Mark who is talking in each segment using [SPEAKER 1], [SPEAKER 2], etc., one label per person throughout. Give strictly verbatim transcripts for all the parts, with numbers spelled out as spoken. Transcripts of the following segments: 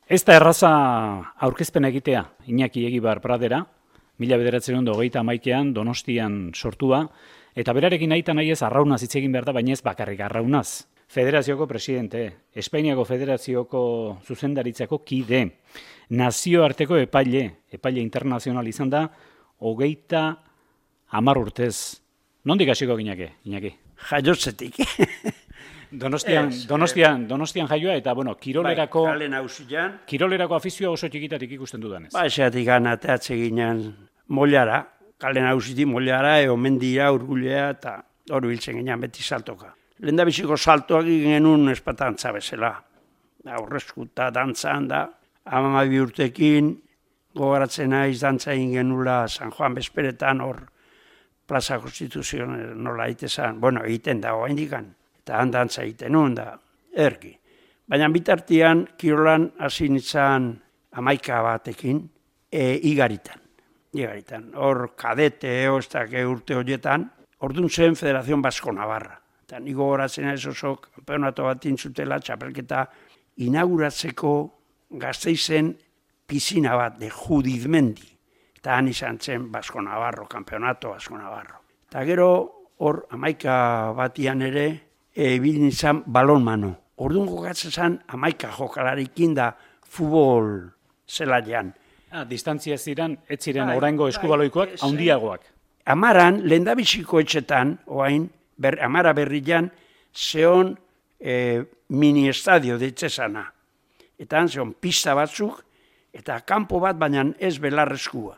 [SPEAKER 1] Ez da erraza aurkezpen egitea, Iñaki Egibar Pradera, mila bederatziehun eta hogeita hamaikaan Donostian sortua, eta berarekin nahita nahi ez arraunaz hitz egin behar da, baina ez bakarrik arraunaz. Federazioko presidente, Espainiako Federazioko zuzendaritzako kide, nazioarteko epaile, epaile internazional izan da, hogeita hamar urtez. Nondik hasiko ginake, Iñaki?
[SPEAKER 2] Jaiotzetik.
[SPEAKER 1] Donostian,
[SPEAKER 2] Ez,
[SPEAKER 1] Donostian, Donostian jaioa eta bueno, kirolerako
[SPEAKER 2] bai, kale nausian.
[SPEAKER 1] Kirolerako afizioa oso txikitatik ikusten dudanez.
[SPEAKER 2] Ba, esatik anateatze ginen mollara, kale nausiti mollara, eo mendia, urgulea, eta hori biltzen ginen beti saltoka. Lehendabiziko saltoak genuen espatantza bezala. Aurrezkuta dantzan da, hamabi urtekin, gogaratzen naiz dantza egin genula San Juan Bezperetan, hor Plaza Konstituzion nola egitezan, bueno, egiten da hoa indikan. Eta handantza egiten nuen da, erki. Baina bitartian, kirolan hasi nintzen hamaika batekin, e, igaritan. Igaritan. Hor kadete, eostak urte horietan, ordun zen Federazion Basko Navarra. Eta niko goratzen ez oso, kampeonato bat intzutela, txapelketa inauguratzeko Gasteizen pisina bat, de Judizmendi. Eta han izan zen Basko Navarro, kampeonato Basko Navarro. Eta gero, hor hamaika batian ere, ebil nintzen balonmano. Orduan jokatzen zen hamaika jokalarikin da futbol zelaian.
[SPEAKER 1] Ah, distantzia ziren, ez ziren
[SPEAKER 2] Bai,
[SPEAKER 1] oraingo eskubaloikoak,
[SPEAKER 2] bai,
[SPEAKER 1] handiagoak.
[SPEAKER 2] Amaran, lehendabiziko etxetan, oain, ber, amara berrian, zeon e, mini-estadio deitzezana. Eta han zeon pista batzuk, eta kanpo bat, baina ez belarrezkua.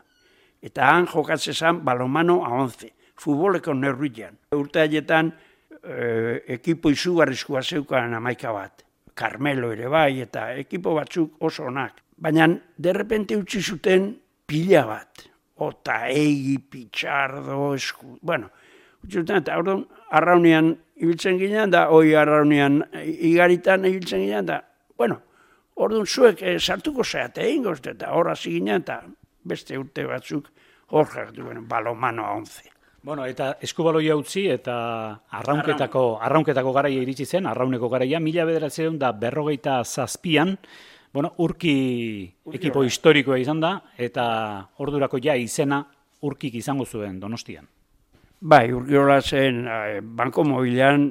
[SPEAKER 2] Eta han jokatzen zen balonmano a once, futboleko neurrian. Urte haietan, E, ekipo izugarrizkoa zeukan hamaika bat. Carmelo ere bai, eta ekipo batzuk oso onak. Baina, derrepente utzi zuten pila bat. Ota, egi, pitxardo, esku... Bueno, utzi zuten, eta orduan, arraunean ibiltzen ginen, da, hoi arraunean igaritan ibiltzen ginen, da, bueno, orduan zuek e, sartuko zeate egin gozte, eta hor hasi ginen, eta beste urte batzuk hor jartu, bueno, balonmano a once.
[SPEAKER 1] Bueno, eta eskubaloia utzi eta arraunketako, arraunketako garaia iritsi zen, arrauneko garaia, mila bederatziehun da berrogeita zazpian, bueno, urki ekipo historikoa izan da, eta ordurako ja izena urkik izango zuen Donostian.
[SPEAKER 2] Bai, urkiola zen, eh, Banko Mobilean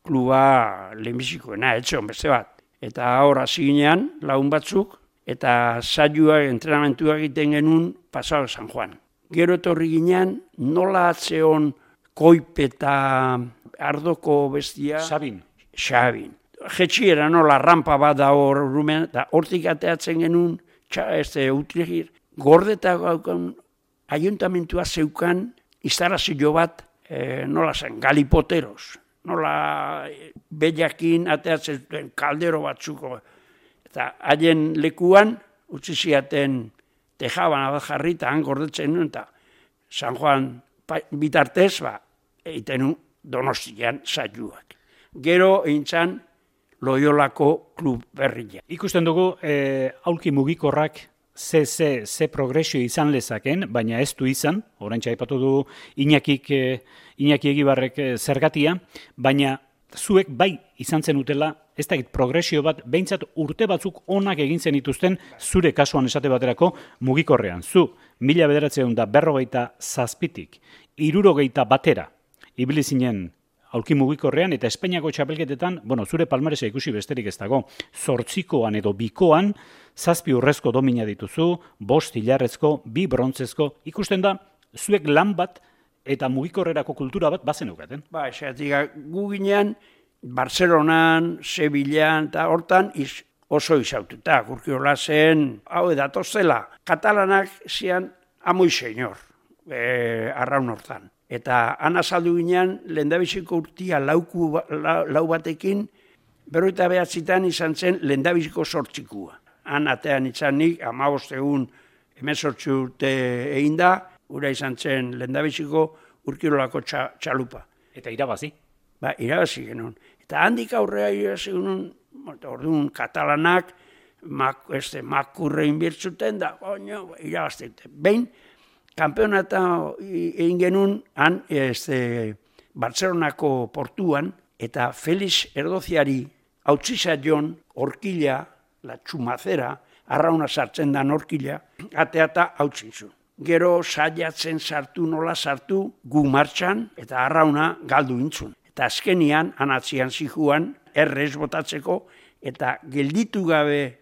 [SPEAKER 2] kluba lehenbizikoena, etxon beste bat. Eta hor hasi ginean, lagun batzuk, eta saioak, entrenamentua egiten genuen pasao San Juan. Gero etorri ginean, nola atzeon koipeta ardoko bestia...
[SPEAKER 1] Sabin.
[SPEAKER 2] Sabin. Jetxiera nola rampa bat da hor rumen, eta hortik ateatzen genuen, txa, este, utrigir, gordeta gaukon, ayuntamentua zeukan, instarazio bat, e, nola zen, galipoteros. Nola e, bellakin ateatzen duen kaldero batzuko. Eta haien lekuan, utzi ziaten, tejaban bat jarri eta han gordetzen nuen, eta San Juan bitartez, ba, egiten nuen Donostian saioak. Gero eintzan Loiolako klub berria.
[SPEAKER 1] Ikusten dugu, e, aulki mugikorrak ze, ze, ze progresio izan lezaken, baina ez du izan, oraintxe aipatu du Iñakik, e, Iñaki Egibarrek e, zergatia, baina zuek bai izan zen utela, ez dakit progresio bat, behintzat urte batzuk onak egin zen dituzten zure kasuan esate baterako mugikorrean. Zu, mila bederatziehun da berrogeita zazpitik, hirurogeita batera, ibili zinen aulki mugikorrean, eta Espainiako txapelketetan, bueno, zure palmaresa ikusi besterik ez dago, zortzikoan edo bikoan, zazpi urrezko domina dituzu, bost hilarrezko, bi brontzezko, ikusten da, zuek lan bat, eta mugikorrerako kultura bat bazen eukaten.
[SPEAKER 2] Ba, esatik, gu ginean, Barcelonan, Sevillan, eta hortan iz, oso izaututa. Urkiola zen, hau edatozela, katalanak zian amoi senyor, e, arraun hortan. Eta han azaldu ginean, lehendabiziko urtia lauku, lau, lau batekin, berroita behatzitan izan zen lehendabiziko sortzikua. Han atean izan nik, amabost egun emezortzi urte egin da, ura izan zen lehendabiziko urkiolako txa, txalupa.
[SPEAKER 1] Eta irabazi?
[SPEAKER 2] Ba, irabazi genuen. Eta handik aurrea irabazi genuen, orduan katalanak, mak, este, makurre inbirtzuten da, oino, irabazte. Behin, kampeonata egin genuen, han, este, Barcelonako portuan, eta Felix Erdoziari hautzizaion horkila la txumazera, arrauna sartzen da norkila, ateata hautzen zuen. Gero saiatzen sartu nola sartu gu martxan eta arrauna galdu intzun. Eta azkenian, anatzian zijuan, errez botatzeko eta gelditu gabe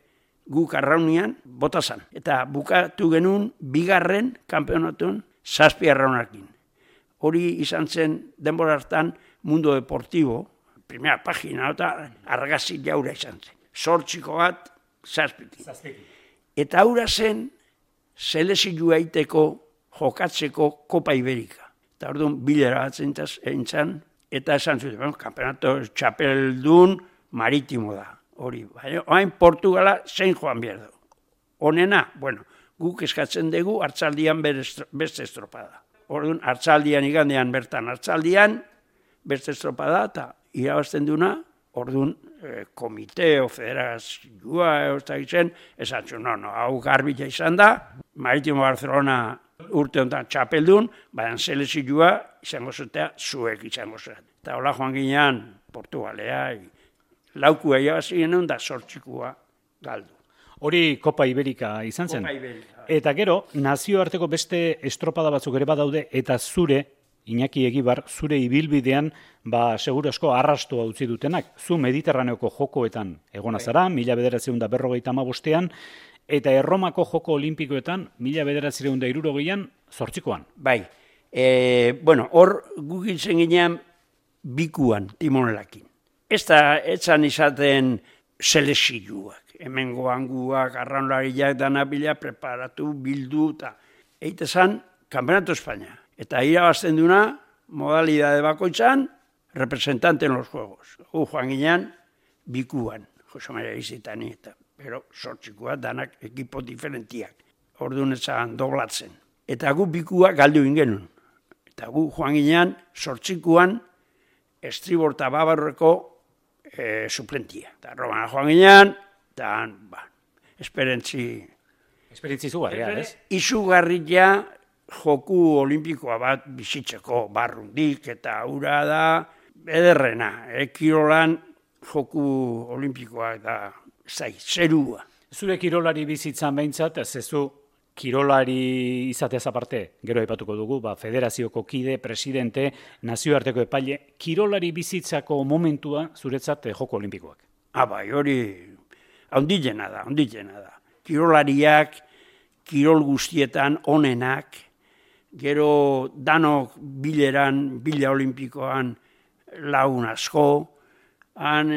[SPEAKER 2] guk arraunian botazan. Eta bukatu genuen bigarren kanpeonatun zazpi arraunakin. Hori izan zen denbora hartan Mundo Deportivo, primera pagina, eta argazi jaura izan zen. Zortziko bat, zazpikin. Eta aura zen, selezioa iteko jokatzeko Kopa Iberika. Eta orduan bilera bat zentzan, eta esan zuten, kampeonato txapeldun maritimo da. Hori, baina, hain Portugala zein joan behar du. Honena, bueno, guk eskatzen dugu hartzaldian beste estropada. Orduan, hartzaldian igandean bertan hartzaldian, beste estropada, eta irabazten duna, orduan, eh, komiteo, federazioa, eta gizen, esan zuen, no, no, hau garbila izan da, Maritimo Barcelona urte honetan txapeldun, baina selezioa izango zutea zuek izango zuen. Eta hola joan ginean, Portugalea, laukua irabazi genuen da sortzikua galdu.
[SPEAKER 1] Hori Kopa Iberika izan zen.
[SPEAKER 2] Kopa Iberika.
[SPEAKER 1] Eta gero, nazioarteko beste estropada batzuk ere badaude, eta zure, Iñaki Egibar, zure ibilbidean, ba, seguru asko arrastua utzi dutenak. Zu Mediterraneoko jokoetan egona zara, mila bederatziehun da berrogeita hamabostean, eta Erromako joko olimpikoetan, mila bederatziehun da hirurogeian, zortzikoan.
[SPEAKER 2] Bai, e, bueno, hor gugitzen ginean bikuan, timonelakin. Ez da, etzan izaten selezioak, hemengo hanguak, arraunlariak danabila, preparatu, bildu, eta eitezan, Campeonato España. Eta irabazten duna, modalidade bakoitzan, representante en los juegos. Gu joan ginean, bikuan, Jose Maria Izitani, eta, pero sortzikoa danak ekipo diferentiak. Orduan etzan doblatzen. Eta gu bikua galdu ingenun. Eta gu joan ginean, sortzikoan, estribor eta babarreko e, suplentia. Eta Romana joan ginean, eta, ba, esperentzi...
[SPEAKER 1] Esperentzi izugarria, ez?
[SPEAKER 2] Izugarria joku olimpikoa bat bizitzeko barrundik eta ura da ederrena. E, kirolan joku olimpikoa da zai, zerua.
[SPEAKER 1] Zure kirolari bizitzan behintzat, ez zu kirolari izateaz aparte, gero aipatuko dugu, ba, federazioko kide, presidente, nazioarteko epaile, kirolari bizitzako momentua zuretzat joko olimpikoak.
[SPEAKER 2] Ah, bai, hori ondilena da, ondilena da. Kirolariak, kirol guztietan onenak, gero danok bileran, bila olimpikoan lagun asko, han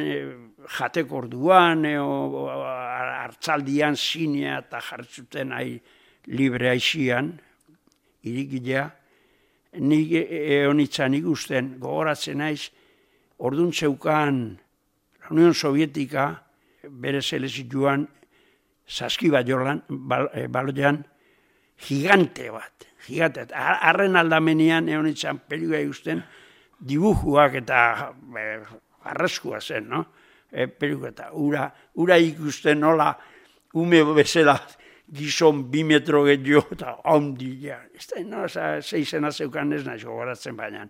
[SPEAKER 2] jateko orduan, hartzaldian zinea eta jartzuten ai libre aixian, irikilea, nik eonitzan ikusten, gogoratzen naiz, orduan zeukan la Unión Sovietika, bere selezioan, saskibaiolan, baloian, gigante bat, gigante. Arren aldamenean eonitzan peligua ikusten, dibujuak eta arraskua zen, no? E, peligua eta ura, ura ikusten nola ume bezala gizon bi metro gehiago eta ondila. Ez da, no, zeizena zeukan ez nahi gogoratzen baina.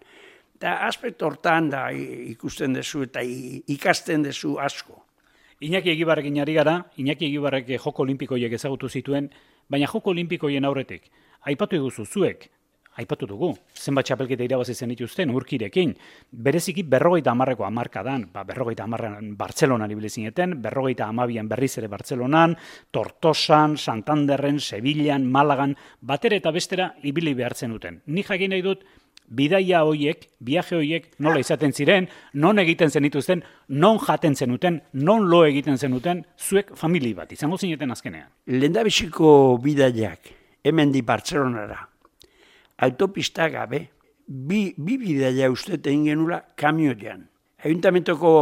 [SPEAKER 2] Eta aspektu hortan da ikusten dezu eta ikasten dezu asko.
[SPEAKER 1] Iñaki Egibarrekin ari gara, Iñaki Egibarrek joko olimpikoiek ezagutu zituen, baina joko olimpikoien aurretik, aipatu eguzu zuek, aipatu dugu, zenbat txapelketa irabazi zenituzten urkirekin, bereziki berrogeita hamarreko hamarkadan, ba, berrogeita hamarran Bartzelonan ibili zineten, berrogeita hamabian berriz ere Bartzelonan, Tortosan, Santanderren, Sevillan, Malagan, batera eta bestera ibili behartzen duten. Ni jakin nahi dut, bidaia hoiek, viaje hoiek, nola izaten ziren, non egiten zenituzten, non jaten zenuten, non lo egiten zenuten, zuek famili bat, izango zineten azkenean.
[SPEAKER 2] Lehendabiziko bidaiak, hemen di Bartzelonara, autopista gabe, bi, bi bidaia uste egin genula kamioian. Ayuntamentoko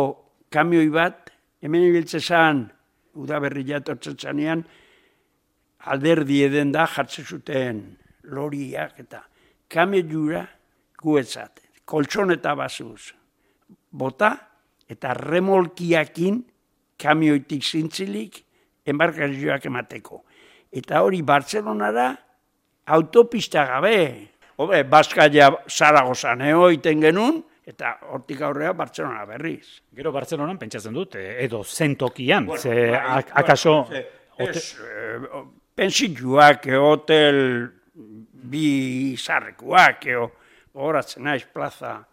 [SPEAKER 2] kamioi bat, hemen ibiltze zan, udaberria tortzen zanean, alderdi eden da jartzen zuten loriak eta kamioiura, guetzat, koltsoneta basuz, bota eta remolkiakin kamioitik zintzilik embarkazioak emateko. Eta hori Bartzelonara autopista gabe, hobe, Baskaia Zaragozan egoiten genuen, Eta hortik aurrea Bartzelona berriz.
[SPEAKER 1] Gero Bartzelonan pentsatzen dut, edo zentokian,
[SPEAKER 2] Bueno,
[SPEAKER 1] ze
[SPEAKER 2] bai,
[SPEAKER 1] ak- akaso...
[SPEAKER 2] bueno, ez, eh, pensituak, eh, hotel bi zarrekuak, eh, horatzen naiz plaza,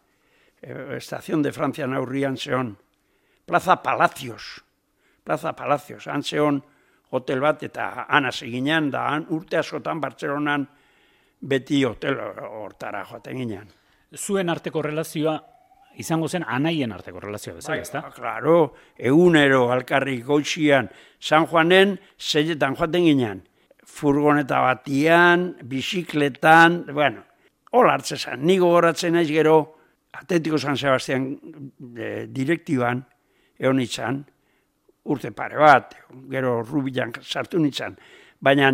[SPEAKER 2] eh, Estación de Francia naurrian zeon, Plaza Palacios, Plaza Palacios, han zeon hotel bat, eta han hasi ginen, da han urte askotan Bartzelonan beti hotel hortara joaten ginen.
[SPEAKER 1] Zuen arteko relazioa, izango zen anaien arteko relazioa bezala, ezta?
[SPEAKER 2] Ba, claro, egunero alkarrik goizian, San Juanen zeiletan joaten ginen. Furgoneta batian, bizikletan, bueno, hola hartzezan. Nigo horatzen naiz gero, Atletiko San Sebastian e, direktiban, egon nintzen, urte pare bat, gero Rubilan sartu nintzen. Baina,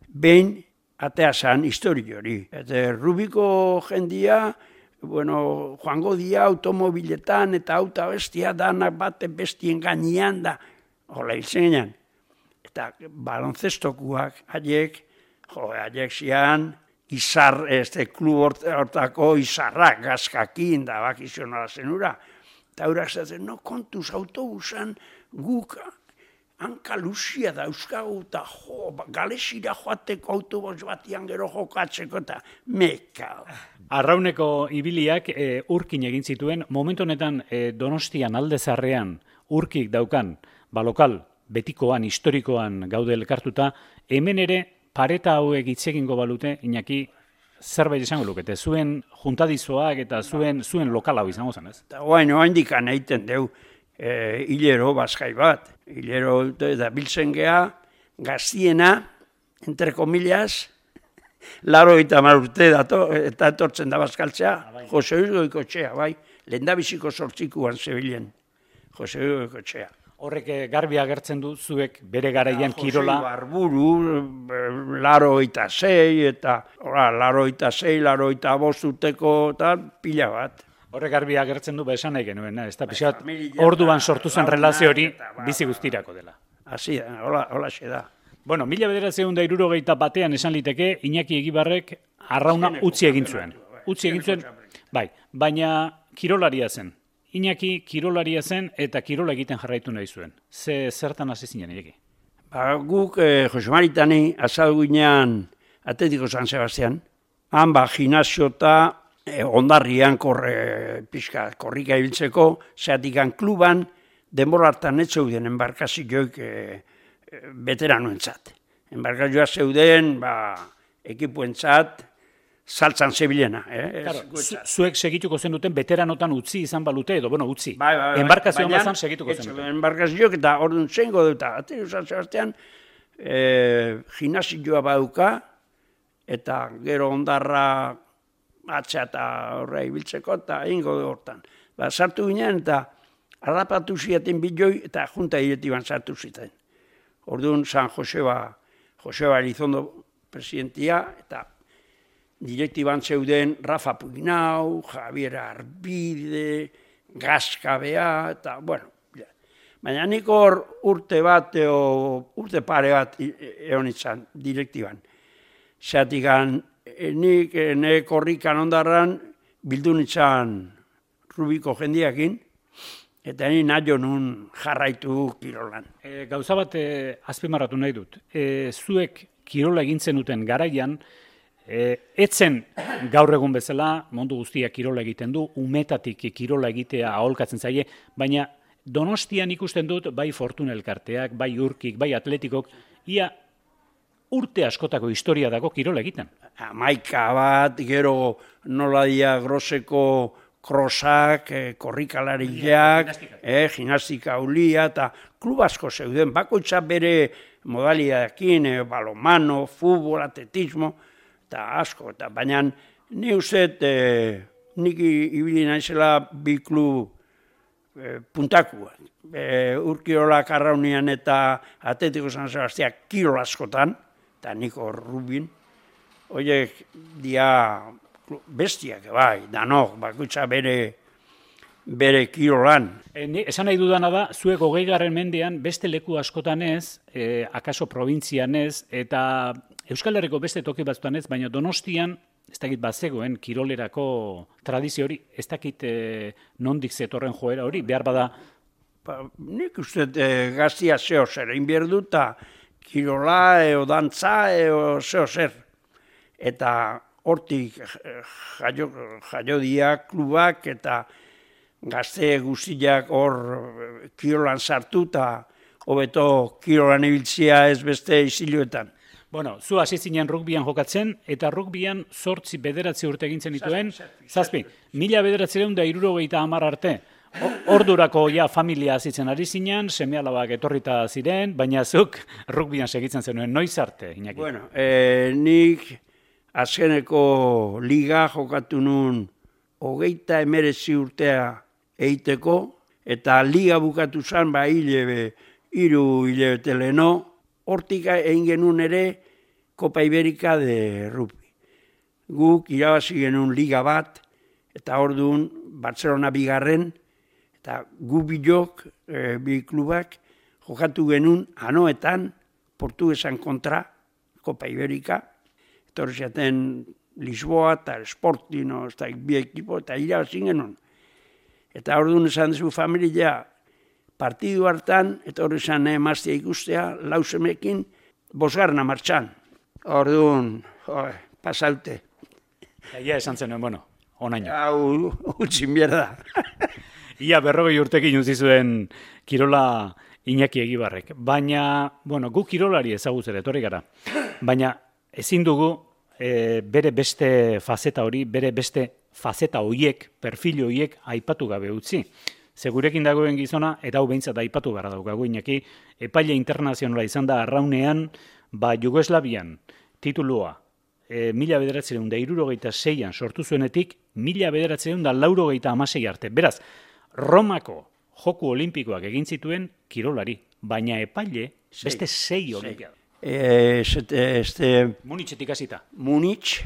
[SPEAKER 2] behin atea zan histori hori. Eta Rubiko jendia, bueno, joango dia automobiletan eta auta bestia danak bate bestien gainean da, hola hiltzen ginen. Eta balonzestokuak, haiek, jo, haiek zian, izar, este klub hortako izarrak, gazkakin, da bakizionala zenura. Eta haurak zaten, no, kontuz autobusan guk hanka luzia da euskagu, eta jo, galesira joateko autobus batian gero jokatzeko, eta meka.
[SPEAKER 1] Arrauneko ibiliak e, urkin egin zituen, momentu honetan e, Donostian aldezarrean urkik daukan, balokal, betikoan, historikoan gaude elkartuta, hemen ere pareta hauek hitz egingo balute, Iñaki, zerbait izango lukete, zuen juntadizoak eta zuen zuen lokal hau izango zen, ez?
[SPEAKER 2] Eta guain, oaindikan egiten deu, e, hilero bazkai bat. Hilero da biltzen geha, gaztiena, entre komillas, laro eta marurte dato, eta etortzen da bazkaltzea, Jose Luis Goikotxea, bai, lehendabiziko sortzikuan zebilen, Jose Luis Goikotxea.
[SPEAKER 1] Horrek garbi agertzen du zuek bere garaian kirola.
[SPEAKER 2] Jose Barburu, laro eta zei, eta ora, laro eta zei, laro eta bostuteko, eta pila bat.
[SPEAKER 1] Horrek garbi agertzen du esan nahi genuen, ez da pixat, orduan sortu zen relazio hori bizi guztirako dela.
[SPEAKER 2] Hasi da, hola, hola xe da.
[SPEAKER 1] Bueno, mila bederatziehun eta hirurogeita batean esan liteke, Iñaki Egibarrek arrauna utzi egin zuen. Utzi egin zuen, bai, baina kirolaria zen. Iñaki kirolaria zen eta kirola egiten jarraitu nahi zuen. Ze zertan hasi zinen, Iñaki?
[SPEAKER 2] Ba, guk eh, Jose Maritani azaldu ginean Atletiko San Sebastian, han ba, gimnasio eta eh, ondarrian korre, pixka, korrika ibiltzeko, zeatikan kluban, denbora hartan ez zeuden enbarkazioik eh, veteranoentzat. Enbarkazioa zeuden, ba, ekipuentzat, saltzan zebilena. Eh?
[SPEAKER 1] Claro, zuek segituko zen duten veteranotan utzi izan balute edo, bueno, utzi.
[SPEAKER 2] Bai, bai, bai.
[SPEAKER 1] Enbarkazioan bazan segituko zen duten.
[SPEAKER 2] Enbarkazioak eta orduan zengo dut, Atletiko San Sebastian, eh, gimnasioa baduka, eta gero ondarra atxa eta horra ibiltzeko, eta egingo du hortan. Ba, sartu ginen, eta harrapatu ziaten biloi, eta junta diretiban sartu ziten. Orduan, San Joseba, Joseba Elizondo presidentia, eta direktiban zeuden Rafa Puinau, Javier Arbide, Gazkabea, eta, bueno, ja. Baina nik hor urte bat, o, urte pare bat egon izan direktiban. Zeratikan, nik ne korrikan ondarran bildu nintzen Rubiko jendiakin, eta ni nahi nun jarraitu kirolan.
[SPEAKER 1] E, gauza bat e, azpimarratu nahi dut. E, zuek kirola egintzen duten garaian, E, etzen gaur egun bezala, mundu guztiak kirola egiten du, umetatik kirola egitea aholkatzen zaie, baina Donostian ikusten dut, bai Fortuna elkarteak, bai Urkik, bai Atletikok, ia urte askotako historia dago kirola egiten.
[SPEAKER 2] Amaika bat, gero nola dia groseko krosak, eh, korrikalariak, eh, gimnastika ulia, eta klub asko zeuden, bakoitza bere modalidadekin, eh, balonmano, futbol, atletismo, eta asko, eta baina ni uzet, e, nik ibili naizela bi klub e, puntakua. E, Urkirola Karraunian eta Atletiko San Sebastian kirol askotan, eta niko Rubin, horiek dia bestiak, bai, danok, bakoitza bere, bere kirolan.
[SPEAKER 1] E, ni, esan nahi dudana da, zuek hogeigarren mendean beste leku askotan ez, e, akaso probintzian ez, eta Euskal Herriko beste toki batzutan ez, baina Donostian ez dakit bazegoen kirolerako tradizio hori, ez dakit e, nondik zetorren joera hori, behar bada...
[SPEAKER 2] Ba, nik uste e, gaztia zeo zer, egin behar dut, kirola, eo dantza, eo zeo zer. Eta hortik jaio, jaiodia klubak eta gazte guztiak hor kirolan sartu eta hobeto kirolan ibiltzia ez beste isiluetan.
[SPEAKER 1] Bueno, zu hasi zinen rugbyan jokatzen, eta rugbyan zortzi bederatzi urte egintzen dituen, zazpi, mila bederatzireun da hirurogeita hamar arte. Ordurako ja familia azitzen ari zinen, seme-alabak etorrita ziren, baina zuk rugbyan segitzen zenuen, noiz arte, Iñaki?
[SPEAKER 2] Bueno, eh, nik azkeneko liga jokatu nun hogeita emerezi urtea eiteko, eta liga bukatu zen, ba, hilebe, hiru hilebete leheno, hortik egin genuen ere Kopa Iberika de rugby. Guk irabazi genuen liga bat, eta orduan Barcelona bigarren, eta gu bilok, e, bi klubak, jokatu genuen anoetan, portugesan kontra, Kopa Iberika, eta hori zaten Lisboa eta Sportino, eta bi ekipo, eta irabazi genuen. Eta orduan esan duzu familia, partidu hartan, eta hori zan emaztea ikustea, lausemekin, bosgarna martxan. Orduan, pasaute.
[SPEAKER 1] Ia esan zenuen, bueno, onaino.
[SPEAKER 2] Hau, utxin bierda.
[SPEAKER 1] Ia berrogei urtekin utzi zuen kirola Iñaki Egibarrek. Baina, bueno, gu kirolari ezagutzera etorri gara. Baina ezin dugu e, bere beste fazeta hori, bere beste fazeta horiek, perfil horiek aipatu gabe utzi. Segurekin dagoen gizona, eta hau behintzat aipatu gara daukagu Iñaki, epaile internazionala izan da arraunean, ba Jugoslavian titulua e, mila bederatzireun da hirurogeita seian sortu zuenetik, mila bederatzireun da laurogeita hamasei arte. Beraz, Romako Joku Olimpikoak egin zituen kirolari, baina epaile beste sei olimpiada.
[SPEAKER 2] E, este, este,
[SPEAKER 1] Munitzetik hasita.
[SPEAKER 2] Munich,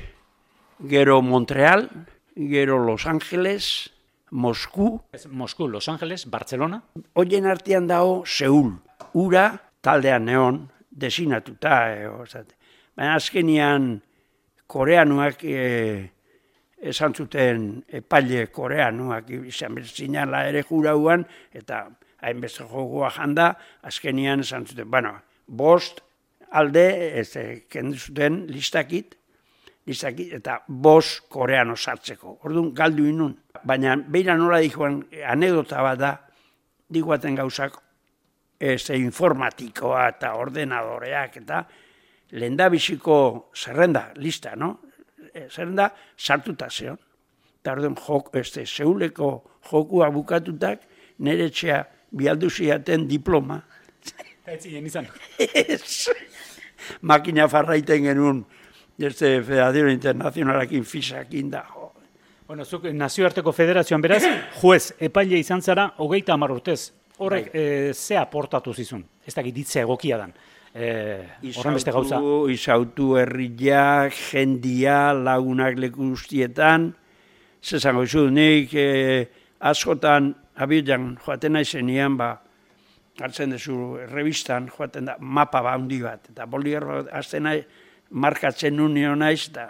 [SPEAKER 2] gero Montreal, gero Los Angeles, Mosku.
[SPEAKER 1] Mosku, Los Angeles, Barcelona.
[SPEAKER 2] Hoien artean dago Seul. Ura taldean neon, desinatuta. E, baina azkenian koreanuak e, esan zuten epaile koreanuak izan berzinala ere jurauan, eta hainbeste jokoa janda, azkenian esan zuten, bueno, bost alde, ez kendu zuten listakit, listakit, eta bost koreano sartzeko. Orduan galdu inun. Baina beira nola dikoan anekdota bat da, diguaten gauzak, ez informatikoa eta ordenadoreak, eta lehendabiziko zerrenda, lista, no? Zerrenda sartuta zeon. Eta orduan jok, este, Seuleko jokua bukatutak, nire etxea bialdu ziaten diploma.
[SPEAKER 1] Ez ziren izan.
[SPEAKER 2] Ez. Makina farraiten genuen, este Federación Internacionalakin fisakin da.
[SPEAKER 1] Bueno, zuk nazioarteko federazioan beraz, juez, epaile izan zara, hogeita hamar urtez. Horrek e, ze aportatu zizun? Ez dakit ditze egokia dan. E, horren beste gauza.
[SPEAKER 2] Izautu herriak, jendia, lagunak leku guztietan. Zezango izu, nik e, askotan abilan joaten naizenian, ba, hartzen dezu revistan, joaten da, mapa ba handi bat. Eta boligarro azten nahi, markatzen unio naiz, eta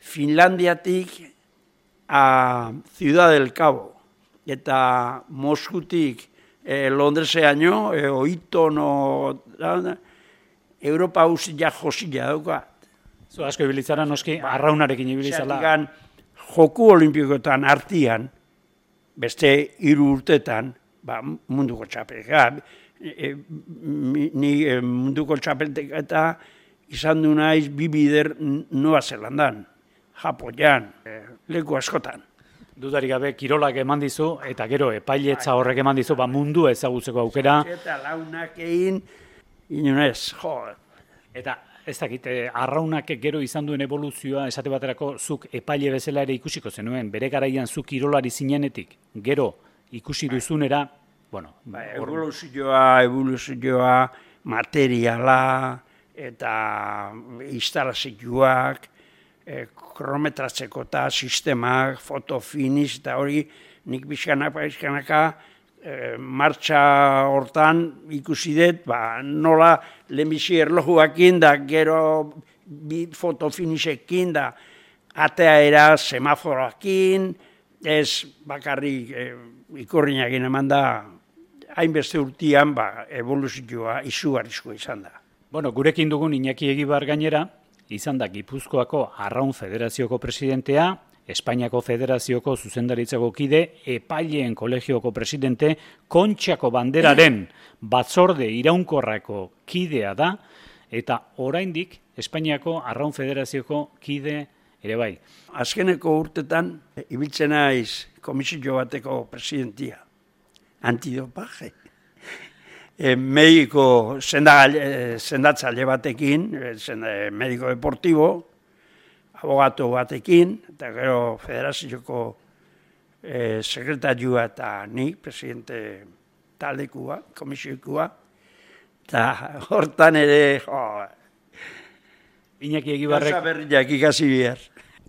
[SPEAKER 2] Finlandiatik a Ciudad del Cabo, eta Moskutik eh, Londreseaino, eh, oiton, o, da, Europa hausia josila dauka.
[SPEAKER 1] Zu asko ibilitzara noski, ba, arraunarekin ibilitzala.
[SPEAKER 2] Zertikan, joku olimpikoetan artian, beste hiru urtetan, ba, munduko txapelka, e, ni e, munduko txapelteka eta izan du naiz bi bider Nueva Zelandan, Japoian, e, leku askotan.
[SPEAKER 1] Dudarik gabe, kirolak eman dizu, eta gero epailetza horrek eman dizu, ba, mundu ezagutzeko aukera.
[SPEAKER 2] Eta launak egin, inunez, jo.
[SPEAKER 1] Eta ez dakit, arraunak gero izan duen evoluzioa, esate baterako zuk epaile bezala ere ikusiko zenuen, bere garaian zuk kirolari zinenetik, gero ikusi duzunera, bueno...
[SPEAKER 2] Ba, evoluzioa, evoluzioa, materiala, eta instalazioak, e, kronometratzeko eta sistemak, fotofinish, eta hori nik bizkanaka, bizkanaka, e, martxa hortan ikusi dut, ba, nola lehenbizi erlojuakin da, gero bi fotofinishekin da, ateaera semaforoakin, ez bakarrik e, ikurriñakin eman da, hainbeste urtian ba, evoluzioa izugarrizkoa izan da.
[SPEAKER 1] Bueno, gurekin dugun Iñaki Egibar gainera, izan da Gipuzkoako Arraun Federazioko presidentea, Espainiako Federazioko zuzendaritzako kide, Epaileen Kolegioko presidente, Kontxako Banderaren batzorde iraunkorrako kidea da, eta oraindik Espainiako Arraun Federazioko kide ere bai.
[SPEAKER 2] Azkeneko urtetan, ibiltzen naiz komisio bateko presidentia, antidopaje. E, mediko sendatzaile batekin, e, mediko deportibo, abogatu batekin, eta gero federazioko e, sekretarioa eta ni, presidente taldekua, komisioikua, eta hortan ere, jo,
[SPEAKER 1] Iñaki Egibarrek,
[SPEAKER 2] gauza berriak ikasi behar.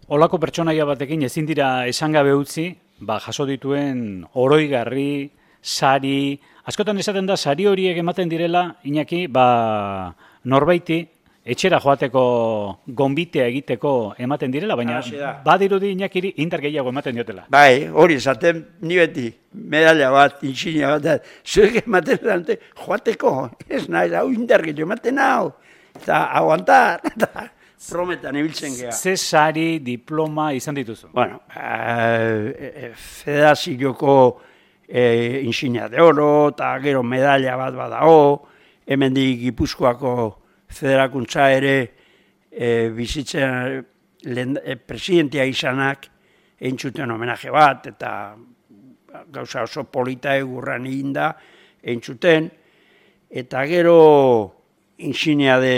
[SPEAKER 1] Olako pertsonaia batekin ezin dira esan gabe utzi, ba, jaso dituen oroigarri, sari, askotan esaten da sari horiek ematen direla, Iñaki, ba, norbaiti, etxera joateko gonbitea egiteko ematen direla, baina badirudi Iñakiri indar gehiago ematen diotela.
[SPEAKER 2] Bai, hori esaten ni beti, medalla bat, insignia bat, zuek ematen dute joateko, ez nahi, hau indar gehiago ematen hau, eta aguantar, eta prometan ibiltzen geha.
[SPEAKER 1] Ze sari, diploma izan dituzu?
[SPEAKER 2] Bueno, eh, federazioko eh, insignia de oro, eta gero medalla bat badao, hemendik Gipuzkoako federakuntza ere e, bizitzen lehen, e, presidentia izanak egin zuten homenaje bat, eta gauza oso polita egurran egin da egin zuten, eta gero insignia de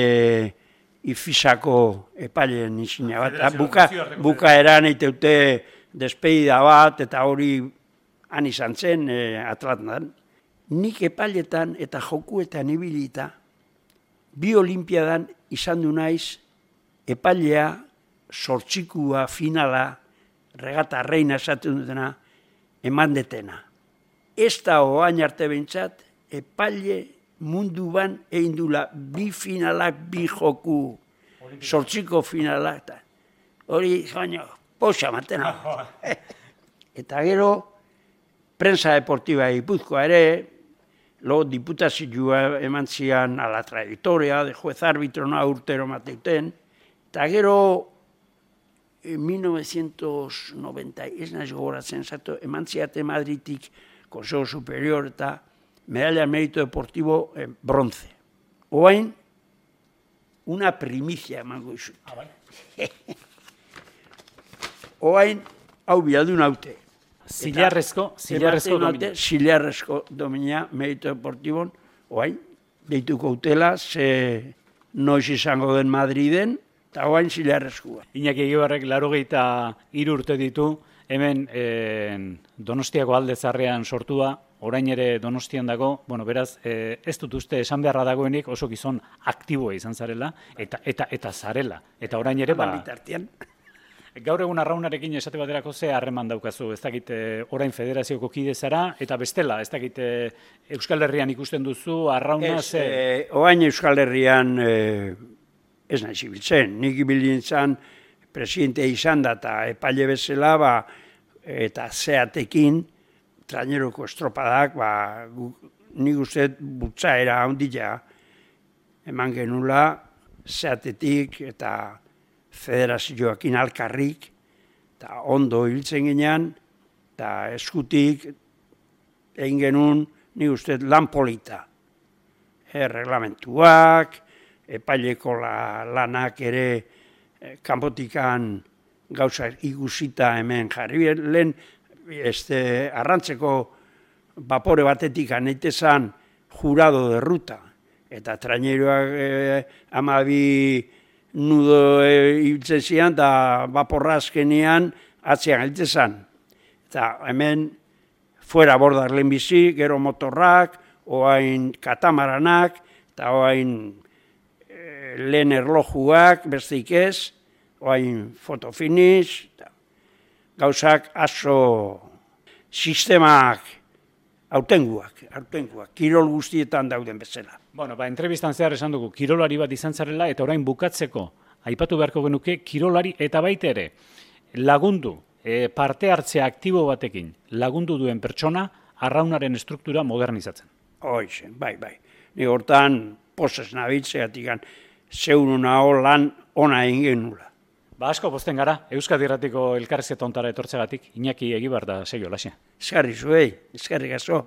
[SPEAKER 2] Ifisako epaileen insignia bat, buka, bukaeran eiteute despedida bat, eta hori han izan zen e, Atlantan. Nik epailetan eta jokuetan ibilita, bi olimpiadan izan du naiz epailea, sortxikua, finala, regata reina esaten dutena, eman detena. Ez da oain arte behintzat, epaile munduan egin dula bi finalak, bi joku, sortxiko finalak. Hori, baina, posa matena. Eta gero, prensa deportiba Gipuzkoa ere, lo diputazioa eman zian a la trayectoria de juez árbitro no urtero mateuten, eta gero en mil novecientos noventa, ez naiz gogoratzen zato, eman ziate Madridik Consejo Superior eta medalla mérito deportivo eh, bronce. Oain, una primicia emango izut. Ah, bai. Oain, hau bialdun haute.
[SPEAKER 1] Zilarrezko, zilarrezko domina.
[SPEAKER 2] Zilarrezko domina, merito deportibon, oain, deituko utela, ze noiz izango den Madriden, eta oain zilarrezkoa.
[SPEAKER 1] Iñaki Egibarrek laurogeita hiru urte ditu, hemen eh, Donostiako alde zarrean sortua, orain ere Donostian dago, bueno, beraz, eh, ez dut uste esan beharra dagoenik oso gizon aktiboa izan zarela, eta eta eta zarela. Eta orain ere, ba... Gaur egun arraunarekin esate baterako ze harreman daukazu, ez dakit orain federazioko kide zara, eta bestela, ez dakit Euskal Herrian ikusten duzu, arrauna ze...
[SPEAKER 2] Ez, oain Euskal Herrian ez nahi zibiltzen, nik ibiltzen presidente izan da, eta epaile bezala, ba, eta zeatekin, traineroko estropadak, ba, nik uste butzaera handila eman genula, zeatetik, eta federazioakin alkarrik, eta ondo hiltzen ginean, eta eskutik egin genuen, ni uste lan polita. E, reglamentuak, epaileko la, lanak ere e, kanpotikan gauza ikusita hemen jarri. Lehen este, arrantzeko bapore batetik aneitezan jurado de ruta, eta traineroak e, amabi nudo ibiltzen zian, eta baporra azkenean atzean geltzen. Eta hemen fuera bordar lehenbizi, gero motorrak, oain katamaranak, eta oain e, lehen erlojuak, besteik ez, oain fotofinish, gauzak aso sistemak autenguak, autenguak, kirol guztietan dauden bezala.
[SPEAKER 1] Bueno, ba, entrevistan zehar esan dugu, kirolari bat izan zarela, eta orain bukatzeko aipatu beharko genuke kirolari eta baita ere lagundu, e, parte hartzea aktibo batekin lagundu duen pertsona arraunaren estruktura modernizatzen.
[SPEAKER 2] Hoize, bai, bai. Ni hortan posez nabitzeatik zeuruna lan ona egin genula.
[SPEAKER 1] Ba asko pozten gara, Euskadi Irratiko elkarrizketa hontara etortzegatik, Iñaki Egibar da Seio Laxe.
[SPEAKER 2] Eskerri zuei, eskerrik asko.